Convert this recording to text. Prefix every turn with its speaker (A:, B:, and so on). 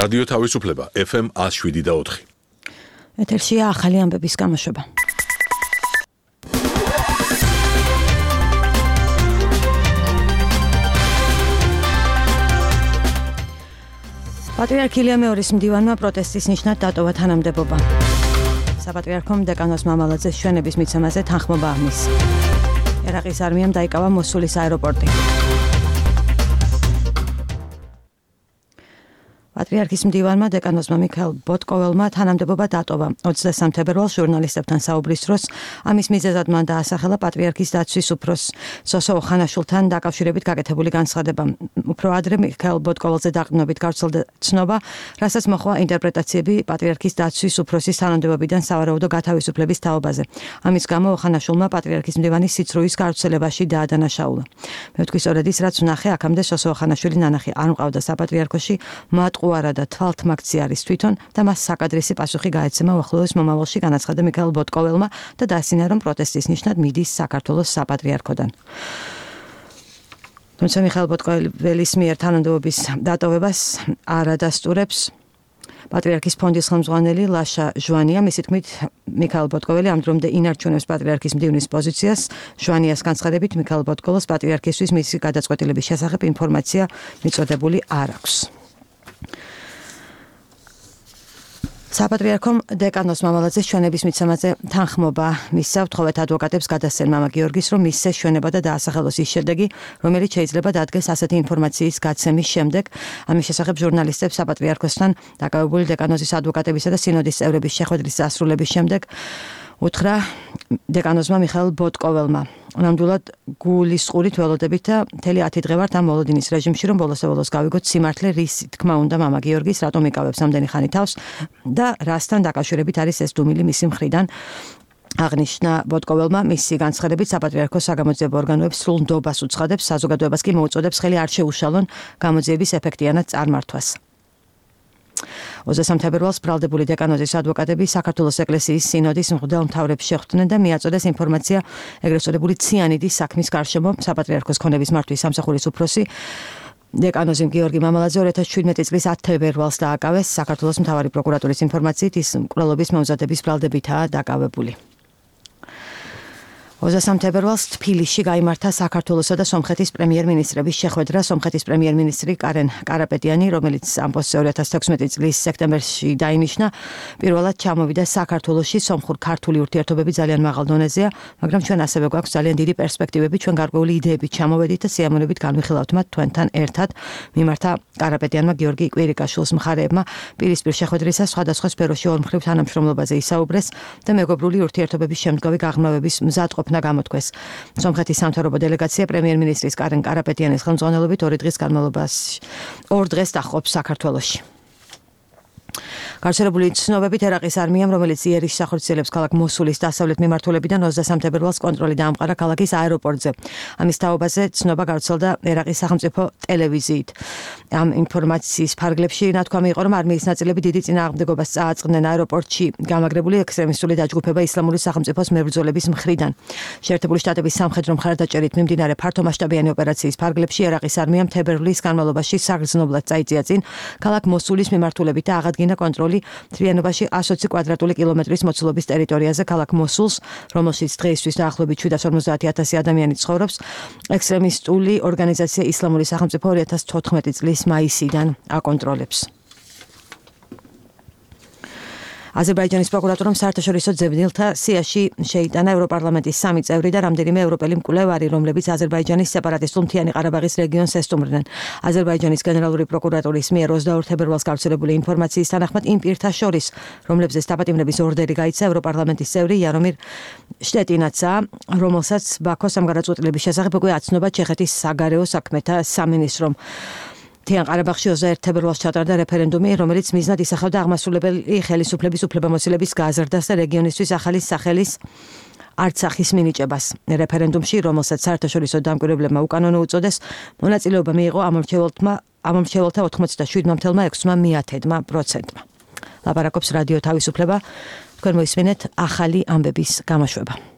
A: რადიო თავისუფლება FM 107.4.
B: ეთერშია ახალი ამბების გამოშვება. პატრიარქ ილია მეორის მდივანმა პროტესტის ნიშნად დატოვა თანამდებობა. საპატრიარქომ დეკანოზ მამალაძეს ჩვენების მიცემაზე თანხმობა აღმის. ერაყის არმიამ დაიკავა მოსულის აეროპორტი. პატრიარქის მდივანმა დეკანოზმა მიქაელ ბოტკოველმა თანამდებობა დატოვა. 23 თებერვალს ჟურნალისტებთან საუბრის დროს ამის მიზეზად მან დაასახელა პატრიარქის დაცვის უფროს სოსო ოხანაშვილთან დაკავშირებით გაკეთებული განცხადება. უფრო ადრე მიქაელ ბოტკოველზე დაყრდნობით გავრცელდა ცნობა, რასაც მოჰყვა ინტერპრეტაციები პატრიარქის დაცვის უფროსის თანამდებობიდან სავარაუდო გათავისუფლების თაობაზე. ამის გამო ოხანაშვილმა პატრიარქის მდივანის სიცრუის გავრცელებაში დაადანაშაულა. მე ვთქვი სწორედ ის, რაც ვნახე, აქამდე სოსო ოხანაშვილი ნანახი არ მყავდა საპატრიარქოში, მატყუარა და თვალთმაქცი არის თვითონ და მას საკადრისი პასუხი გაეცემა უახლოეს მომავალში, განაცხადა მიქაელ ბოტკოველმა და დაასინა, რომ პროტესტის ნიშნად მიდის საქართველოს საპატრიარქოდან. თუმცა მიქაელ ბოტკოველის მიერ თანამდებობის დატოვებას არ ადასტურებს პატრიარქის ფონდის ხელმძღვანელი ლაშა ჟვანია. მისი თქმით, მიქაელ ბოტკოველი ამ დრომდე ინარჩუნებს პატრიარქის მდივნის პოზიციას. ჟვანიას განცხადებით, მიქაელ ბოტკოველს პატრიარქისთვის მისი გადაწყვეტილების შესახებ ინფორმაცია მიწოდებული არ აქვს. საპატრიარქომ დეკანოზ მამალაძეს ჩვენების მიცემაზე თანხმობა მისცა. ვთხოვეთ ადვოკატებს გადასცენ მამა გიორგის, რომ მისცეს ჩვენება და დაასახელოს ის შედეგი, რომელიც შეიძლება დადგეს ასეთი ინფორმაციის გაცემის შემდეგ. ამის შესახებ ჟურნალისტებს საპატრიარქოსთან დაკავებული დეკანოზის ადვოკატებისა და სინოდის წევრების შეხვედრის დასრულების შემდეგ უთხრა დეკანოზმა მიხაელ ბოტკოველმა. ნამდვილად გულის ყურით ველოდებით და მთელი 10 დღე ვართ ამ მოლოდინის რეჟიმში, რომ ბოლოს გავიგოთ სიმართლე, რის თქმა უნდა მამა გიორგის, რატომ იკავებს ამდენი ხანი თავს და რასთან დაკავშირებით არის ეს დუმილი მისი მხრიდან. აღნიშნა ბოტკოველმა, მისი განცხადებით საპატრიარქოს საგამოძიებო ორგანოებს სრულ ნდობას უცხადებს, საზოგადოებას კი მოუწოდებს ხელი არ შეუშალონ გამოძიების ეფექტიანად წარმართვას. 23 თებერვალს ბრალდებული დეკანოზის ადვოკატები საქართველოს ეკლესიის სინოდის მღვდელ მთავრებს შეხვდნენ და მიაწოდეს ინფორმაცია ეგრეთ წოდებული ციანიდის საქმის გარშემო. საპატრიარქოს ქონების მართვის სამსახურის უფროსი დეკანოზი გიორგი მამალაძე 2017 წლის 10 თებერვალს დააკავეს. საქართველოს მთავარი პროკურატურის ინფორმაციით ის მკვლელობის მომზადების ბრალდებითაა დაკავებული. 23 თებერვალს თბილისში გაიმართა საქართველოსა და სომხეთის პრემიერ-მინისტრების შეხვედრა. სომხეთის პრემიერ-მინისტრი კარენ კარაპეტიანი, რომელიც ამ პოსტზე 2016 წლის სექტემბერში დაინიშნა, პირველად ჩამოვიდა საქართველოში. სომხურ-ქართული ურთიერთობები ძალიან მაღალ დონეზეა, მაგრამ ჩვენ ასევე გვაქვს ძალიან დიდი პერსპექტივები, ჩვენ გარკვეული იდეებით ჩამოვედით და სიამოვნებით განვიხილავთ მათ თქვენთან ერთად. მიმართა კარაპეტიანმა გიორგი კვირიკაშვილის მხარეებმა პირისპირ შეხვედრისას სხვადასხვა სფეროში ორმხრივ თანამშრომლობაზე ისაუბრეს და მეგობრული ურთიერთობების შემდგომი გაღრმავების მზადყოფნა გამოთქვეს. სომხეთის სამთავრობო დელეგაცია პრემიერ-მინისტრის კარენ კარაპეტიანის ხელმძღვანელობით 2 დღეს დაჰყობს საქართველოში. გავრცელებული ცნობებით ერაყის არმიამ, რომელიც იერიშს ახორციელებს ქალაქ მოსულის დასავლეთ მიმართულებიდან 23 თებერვალს კონტროლი დაამყარა ქალაქის აეროპორტზე. ამის თაობაზე ცნობა გავრცელდა ერაყის სახელმწიფო ტელევიზიით. ამ ინფორმაციის ფარგლებში ნათქვამი იყო, რომ არმიის ნაწილები დიდი წინააღმდეგობას წააწყდნენ აეროპორტში გამაგრებული ექსტრემისტული დაჯგუფება ისლამური სახელმწიფოს მებრძოლების მხრიდან. შეერთებული შტატების სამხედრო მხარდაჭერით მიმდინარე ფართომასშტაბიანი ოპერაციის ფარგლებში ერაყის არმიამ თებერვლის განმავლობაში საგრძნობლად წაიწია წინ ქალაქ მოსულის მიმართულებით და აღადგინა კონტროლი თრიანობაში 120 კვადრატული კილომეტრის მოცულობის ტერიტორიაზე ქალაქ მოსულს, რომელშიც დღეისთვის დაახლოებით 750,000 ადამიანი ცხოვრობს. ექსტრემისტული ორგანიზაცია ისლამური სახელმწიფო 2014 წლის მაისიდან აკონტროლებს. აზერბაიჯანის პროკურატურამ საერთაშორისო ძებნელთა სიაში შეიტანა ევროპარლამენტის 3 წევრი და რამდენიმე ევროპელი მკვლევარი, რომლებიც აზერბაიჯანის სეპარატისტულ მთიანი ყარაბაღის რეგიონს ესტუმრნენ. აზერბაიჯანის გენერალური პროკურატურის მიერ 22 თებერვალს გავრცელებული ინფორმაციის თანახმად იმ პირთა შორის, რომლებზეც დაპატიმრების ორდერი გაიცა, ევროპარლამენტის წევრი იარომირ შტეტინაცაა, რომელსაც ბაქოს სამგარაწყვეტილების შესახებ უკვე აცნობა ჩეხეთის საგარეო საქმეთა სამინისტრომ. მთიან ყარაბაღში 21 თებერვალს ჩატარდა რეფერენდუმი, რომელიც მიზნად ისახავდა აღმასრულებელი ხელისუფლების უფლებამოსილების გაზრდას და რეგიონისთვის ახალი სახელის არცახის მინიჭებას. რეფერენდუმში, რომელსაც საერთაშორისო დამკვირვებლებმა უკანონო უწოდეს, მონაწილეობა მიიღო ამომრჩეველთა 87,6%. ლაპარაკობს რადიო თავისუფლება. თქვენ მოისმინეთ ახალი ამბების გამოშვება.